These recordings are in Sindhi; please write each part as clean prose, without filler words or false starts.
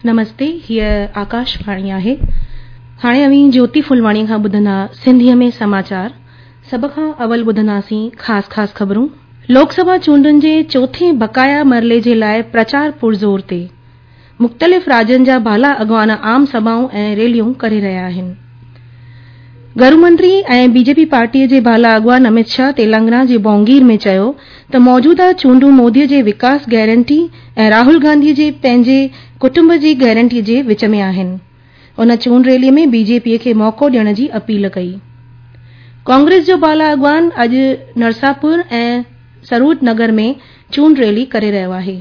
نمستي هيء آڪاش واڻي آهي. هاڻي اوهين جوتي ڦلواڻي کان ٻڌندا سنڌيء ۾ سماچار. سڀ کان اول ٻڌنداسين خاص خاص خبرون. لوڪ سڀا چونڊن جي چوٿين بقايا مرحلي جي لاء پرچار پرزور تي. مختلف راڄن جا بالا اڳواڻ عام سڀائون ۽ ريليون ڪري رهيا آهن. گهرو منتري ۽ بي جي پي پارٽي جي بالا اڳواڻ امت شاهه تيلنگانا جي بونگير ۾ چيو ته موجوده چونڊون مودي جي وڪاس گارنٽي ۽ راهول گانڌي جي پنهنجي ڪٽنب جي گارنٽي جي وچ ۾ آهن. ان چونڊ ريلي ۾ بي جي پي کي موقعو ڏيڻ جي اپيل ڪئي. ڪانگريس جو بالا اڳواڻ اڄ نرساپور ۽ سرور نگر ۾ چونڊ ريلي ڪري رهيو آهي.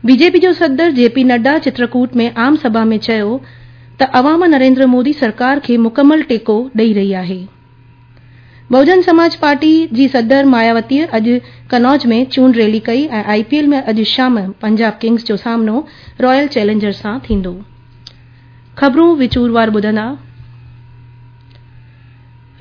بي جي پي جو صدر جي پي نڊا چترڪوٽ ۾ عام سڀا ۾ چيو ته عوام نريندر مودي سرڪار کي مڪمل ٽيڪو ڏئي رهي آهي. بهوجن سماج پارٽي جي صدر ماياوتيء اڄ قنوج ۾ چونڊ ريلي ڪئي ۽ آء پي ايل ۾ اڄ شام پنجاب ڪنگز جو سامنو رائل چئلينجرز سان ٿيندو. خبرون وچوروار ٻڌندا.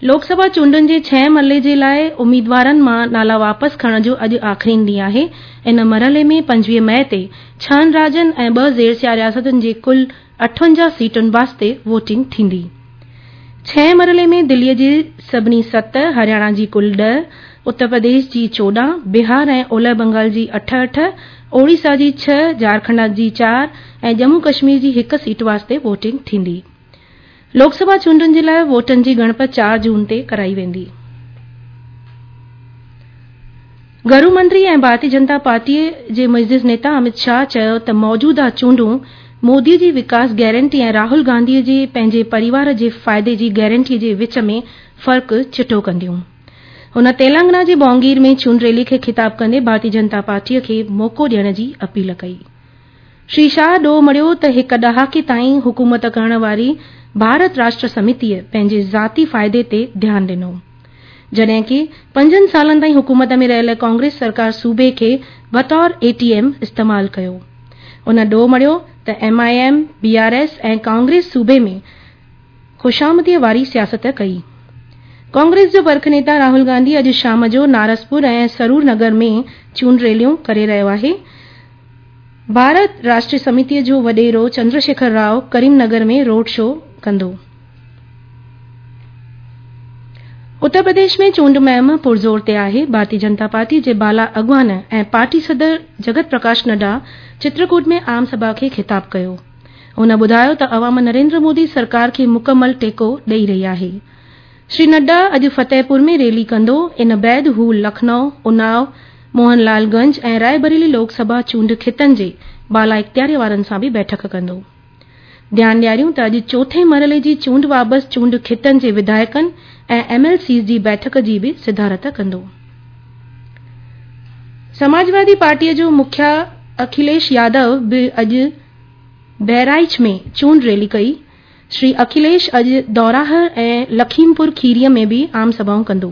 لوڪ سڀا چونڊن جي ڇهين مرحلي جي لاء اميدوارن مان نالا واپس کڻڻ جو اڄ آخرين ڏينهن آهي. ان مرحلي ۾ 25 مئي تي ڇهن راڄن ۽ ٻه زيرسيا رياستن جي ڪل 58 سيٽن واسطي ووٽنگ ٿيندي. ڇهين مرحلي ۾ دلي جي سڀني ست، هرياڻا جي ڪل 10، اتر پرديش جي 14، بهار ۽ اولهه بنگال جي اٺ اٺ، اوڙيسا جي ڇهه، جهارکنڊ جي چار ۽ ڄمون ڪشمير جي هڪ سيٽ واسطي ووٽنگ ٿيندي. لوڪ سڀا چونڊن جي لاء ووٽن جي ڳڻپ 4 جون تي ڪرائي ويندي. گهرو منتري ۽ ڀارتي جنتا پارٽي جي معزز نيتا امت شاهه چيو ته موجوده چونڊون مودي جي وڪاس گارنٽي ۽ راهول گانڌي جي پنهنجي پريوار جي فائدي جي گارنٽي جي وچ ۾ فرق چٽو ڪنديون. هن تيلنگانا جي بونگير ۾ چونڊ ريلي کي خطاب ڪندي ڀارتي جنتا پارٽي کي موقعو ڏيڻ جي اپيل ڪئي. شري شاهه ڏوهه مڙهيو ته هڪ ڏهاڪي تائين حڪومت ڪرڻ واري ڀارت راشٽر سميتيء پنهنجي ذاتي فائدي تي ڌيان ڏنو. جڏهن ڪي پنجن سالن تائين حڪومت ۾ رهيل ڪانگريس سرڪار صوبي کي بطور اي ٽي ايم استعمال ڪيو. هن ڏوهه مڙهيو ته M I M, B R S ۽ Congress صوبي ۾ خوشامديء واري سياست ڪئي. ڪانگريس جو برک نيتا راهول گانڌي اڄ شام جو نارسپور ۽ سرور نگر ۾ چونڊ ريليون ڪري رهيو آهي. ڀارت راشٽري سميتيء جو وڏيرو چندر شيکر رائو ڪريم نگر ۾ روڊ شو ڪندو. اتر پرديش ۾ چونڊ مهم پرزور تي آهي. ڀارتي جنتا پارٽي جي بالا اڳواڻ ۽ پارٽي صدر جگت پرڪاش نڊا چترڪوٽ ۾ عام سڀا کي خطاب ڪيو. هن ٻڌايو ته عوام نريندر مودي سرڪار کي مڪمل ٽيڪو ڏئي رهي آهي. شري نڊا اڄ فتح پور ۾ ريلي ڪندو، ان بعد هو لکنؤ، اناء، موهن لال گنج ۽ راء بريلي لوڪ سڀا چونڊ خطن جي بالا اختياري وارن سان به بيٺڪ ڪندو. ڌيان ڏياريون ته اڄ چوٿين مرحلي جي چونڊ وابست چونڊ خطن جي وڌايڪن ۽ ايم ايل سيز جي بيٺڪ جي به صدارت ڪندو. سماجوادي پارٽيء جو مکيا اکيليش يادو به اڄ بهرائچ ۾ چونڊ ريلي ڪئي. شري اکيليش اڄ دوراهه ۽ لکيم پور کيريء ۾ به عام سڀائون ڪندو.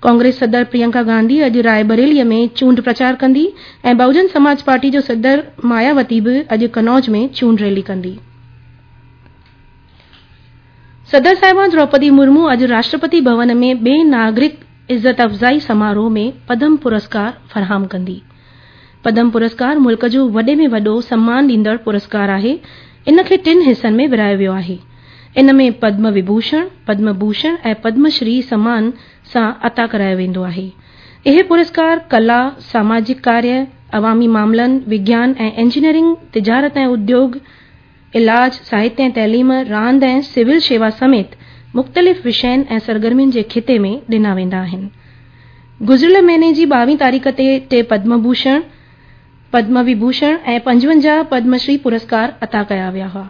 ڪانگريس صدر پريانڪا گانڌي اڄ راء بريليء ۾ چونڊ پرچار ڪندي ۽ بهوجن سماج پارٽي جو صدر ماياوتي به اڄ قنوج ۾ چونڊ ريلي ڪندي. صدر صاحبه دروپدي مرمو اڄ راشٽرپتي ڀون ۾ ٻئين ناگرڪ عزت افزائي سماروهه ۾ پدم پرسڪار فراهم ڪندي. پدم پرسڪار ملڪ جو وڏي ۾ وڏو سمان ڏيندڙ پرسڪار آهي. ان کي ٽن حصن ۾ ورهايو ويو آهي. ان ۾ پدم وڀوشڻ، پدم ڀوشڻ ۽ پدم شري سمان سان عطا ڪرايو ويندو آهي. اهي پرسڪار ڪلا، ساماجڪ ڪاريه، عوامي معاملن، وگيان ۽ انجنيئرنگ، تجارت ۽ اديوگ، علاج، ساهتيه ۽ تعليم، راند ۽ سول شيوا سميت مختلف وشين ۽ سرگرمين جي خطي ۾ ڏنا ويندا آهن. گذريل مهيني جي 22 تاريخ تي ٽي پدم ڀوشڻ، پدم وڀوشڻ ۽ 55 پدم شري پرسڪار عطا ڪيا ويا هئا.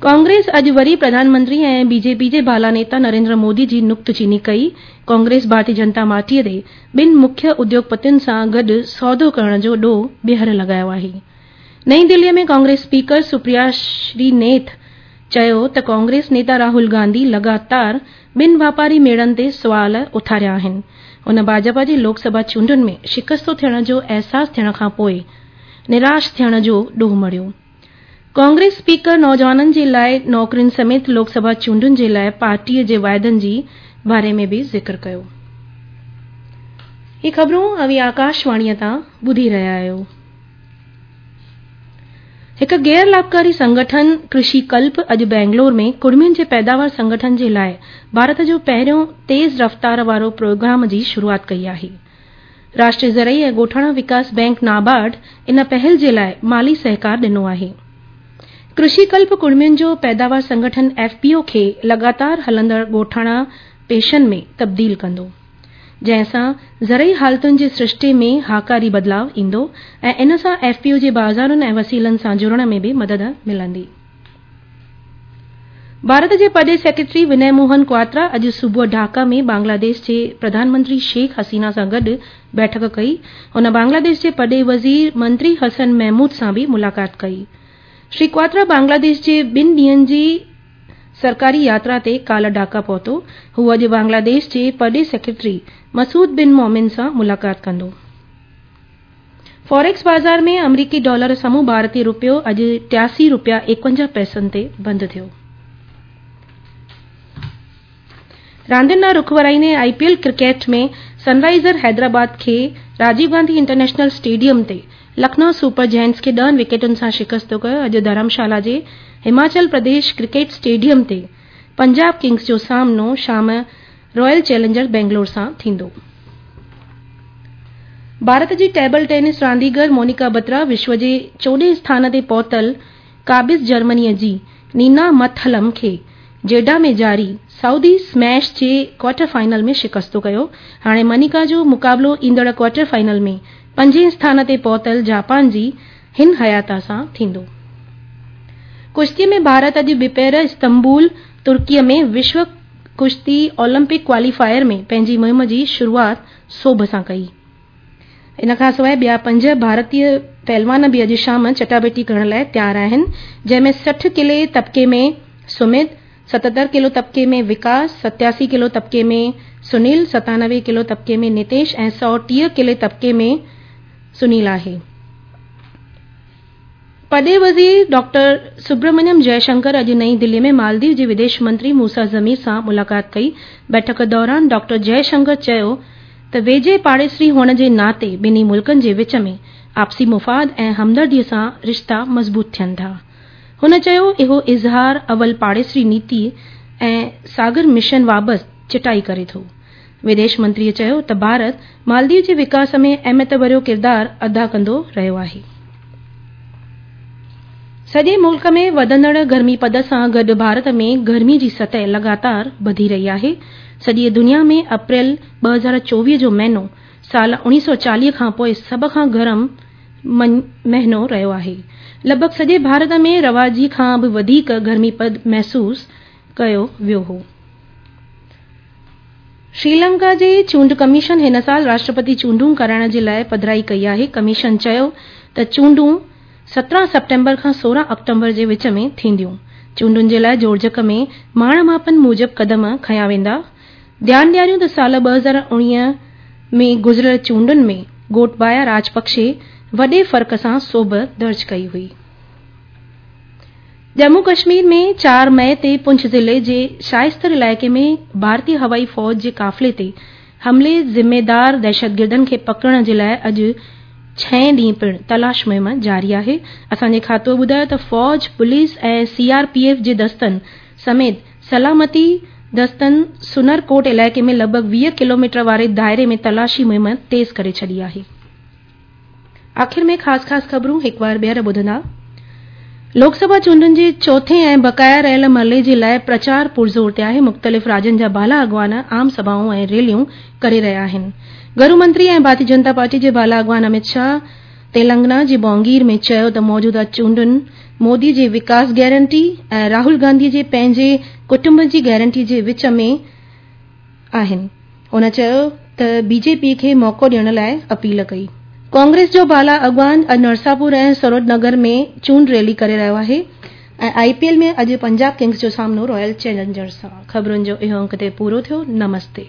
ڪانگريس اڄ وري پرڌان منتري ۽ بي جي پي جي بالا نيتا نريندر مودي جي نڪته چيني ڪئي. ڪانگريس ڀارتي جنتا پارٽيء تي ٻن مکيه اديوگپتين سان گڏ سودو ڪرڻ جو ڏوهه ٻيهر لڳايو آهي. نئين دليء ۾ ڪانگريس اسپيڪر سپريا شرينيٿ چيو ته ڪانگريس نيتا راهول گانڌي لڳاتار ٻن واپاري ميڙن تي سوال اٿاريا آهن. هن ڀاجپا جي لوڪ سڀا چونڊن ۾ شڪستو ٿيڻ جو احساس ٿيڻ کانپوء نراش ٿيڻ جو ڏوهه مڙهيو. ڪانگريس اسپيڪر نوجوانن جي لاء نوڪرين سميت لوڪ سڀا چونڊن جي لاء پارٽيء جي واعدن جي باري ۾ به ذڪر ڪيو. هي خبرون اوهين آڪاش واڻيء تان ٻڌي رهيا آهيو. هڪ غير لاڀڪاري سنگٺن ڪرشي ڪلپ اڄ بينگلور ۾ ڪڙمين جي پيداوار سنگٺن جي لاء ڀارت جو پهريون تيز رفتار وارو پروگرام جي شروعات ڪئي آهي. راشٽريه زرعي ۽ ڳوٺاڻا وڪاس بئنڪ نابارڊ ان پهل جي لاء مالي سهڪار ڏنو آهي. ڪرشي ڪلپ ڪڙمين جو پيداوار سنگٺن ايف پي او کي لڳاتار هلندڙ ڳوٺاڻا پيشن ۾ تبديل ڪندو. جنهن سان زرعي حالتن جي سرشتي ۾ هاڪاري بدلاء ايندو ۽ ان سان ايف پي او جي بازارن ۽ وسيلن سان جڙڻ ۾ به مدد ملندي. ڀارت جي پرڏيهي سيڪريٽري ونئي موهن ڪواترا اڄ صبح ڍاڪا ۾ بنگلاديش جي پرڌان منتري شيخ حسينه سان گڏ بيٺڪ ڪئي. هن بنگلاديش جي پرڏيهي وزير منتري حسن محمود سان به ملاقات ڪئي. شري ڪواترا بنگلاديش جي ٻن ڏينهن جي سرڪاري ياترا تي ڪالهه ڍاڪا پهتو. هو اڄ بنگلاديش جي پرڏيهي سيڪريٽري مسعود بن مومن سان ملاقات ڪندو. فاريڪس بازار ۾ آمريڪي ڊالر سامهون ڀارتي رپيو اڄ 83 رپيا 51 پئسن تي بند ٿيو. راندين ڏانهن رخ ورائيندي I P L cricket ۾ Sunriser Hyderabad کي راجيو گانڌي انٽرنيشنل اسٽيڊيم تي لکنؤ سپر جائنٽس کي ڏهن وڪيٽن سان شڪست ڪيو. اڄ ڌرمشالا جي هماچل پرديش ڪرڪيٽ اسٽيڊيم تي پنجاب ڪنگز جو سامنو شام رائل چئلينجرز بينگلور سان ٿيندو. ڀارت جي ٽيبل ٽينس رانديگر مونيڪا بترا وشو جي چوڏهين اسٿان تي پهتل قابض جرمني جي نينا مٿلم کي جيڊا ۾ جاري سعودي اسميش جي ڪوارٽر فائنل ۾ شڪست ڪيو. هاڻي منيڪا جو مقابلو ايندڙ ڪوارٽر فائنل ۾ پنجين اسٿان تي پهتل جاپان جي هن هياتا سان ٿيندو. ڪشتي ۾ ڀارت اڄ ٻپهر استنبول، ترڪي ۾ وشو ڪشتي اولمپڪ ڪواليفائر ۾ پنهنجي مهم جي شروعات سوڀ سان ڪئي. ان کانسواء ٻيا پنج ڀارتي پهلوان به اڄ شام چٽاڀيٽي ڪرڻ لاء تيار آهن، جنهن ۾ 60 ڪلي طبقي ۾ سمت، 77 ڪلو طبقي ۾ وڪاس، 87 ڪلو طبقي ۾ سنيل، 97 ڪلو طبقي ۾ نتيش ۽ 130 ڪلي طبقي ۾ سنيل آهي. پرڏيهي وزير ڊاڪٽر سبرمنيم جئه شنڪر اڄ نئين دلي ۾ مالديپ جي وديش منتري موسيٰ ضمير سان ملاقات ڪئي. بيٺڪ دوران ڊاڪٽر جئه شنڪر چيو ته ويجهي پاڙيسري هئڻ جي ناتي ٻنهي ملڪن جي وچ ۾ آپسي مفاد ۽ همدردي سان رشتا مضبوط ٿين ٿا. هن چيو اهو اظهار اول پاڙيسري نيتي ۽ ساگر مشن بابت چٽائي ڪري ٿو. وديش منتري چيو ته ڀارت مالديپ جي وڪاس ۾ اهميت ڀريو ڪردار ادا ڪندو رهيو آهي. سڄي ملڪ ۾ وڌندڙ گرمي پد سان گڏ ڀارت ۾ گرمي جي سطح لڳاتار وڌي رهي آهي. سڄيء دنيا ۾ اپريل 2024 جو مهينو سال 1940 کان پوء سڀ کان گرم مهينو رهيو آهي. لڳ ڀڳ سڄي ڀارت ۾ رواجي کان به وڌيڪ گرمي پد محسوس ڪيو ويو هو. شريلنڪا جي چونڊ ڪميشن هن سال راشٽرپتي چونڊون ڪرائڻ جي لاء پڌرائي ڪئي آهي. ڪميشن چيو ته چونڊون 17 سيپٽمبر کان 16 آڪٽوبر جي وچ ۾ ٿينديون. چونڊن جي لاء جوڙجڪ ۾ ماڻ ماپن موجب قدم کنيا ويندا. ڌيان ڏياريون ته سال 2019 ۾ گذريل چونڊن ۾ گوٽبايا راجپڪشي وڏي فرق سان سوڀ درج ڪئي هئي. ڄمون ڪشمير ۾ 4 مئي تي پونڇ ضلعي جي شائستر علائقي ۾ ڀارتي هوائي فوج جي قافلي تي حملي ذميدار دهشتگردن کي پڪڙڻ جي لاء اڄ ڇهين ڏينهن پڻ تلاش مهم جاري آهي. اسان جي کاتوء ٻڌايو ته فوج، police ۽ C R P F جي دستن سميت سلامتي دستن سنر ڪوٽ علائقي ۾ لڳ ڀڳ 20 ڪلوميٽر واري دائري ۾ تلاشي مهم تيز ڪري ڇڏي آهي. آخر ۾ خاص خاص خبرون هڪ وار ٻيهر ٻڌندا. لوڪ سڀا چونڊن جي چوٿين ۽ بقايا رهيل مرحلي جي لاء پرچار پرزور تي آهي. مختلف راڄن جا بالا اڳواڻ عام سڀائون ۽ ريليون ڪري رهيا آهن. گهرو منتري ۽ ڀارتي جنتا پارٽي جي بالا اڳواڻ امت شاهه تيلنگنا جي بونگير ۾ چيو ته موجوده چونڊن مودي جي وڪاس گارنٽي ۽ راهول گانڌي جي پنهنجي ڪٽنب جي گارنٽي جي وچ ۾ آهن. هن چيو ته بي جي پي کي موقعو ڏيڻ لاء اپيل ڪئي. ڪانگريس جو بالا اڳواڻ اڄ نرساپور ۽ سرود نگر ۾ چونڊ ريلي ڪري رهيو آهي ۽ آء پي ايل ۾ اڄ پنجاب ڪنگز جو سامنو رائل چئلينجرز سان. خبرن جو اهو انڪ هتي پورو ٿيو. نمستي.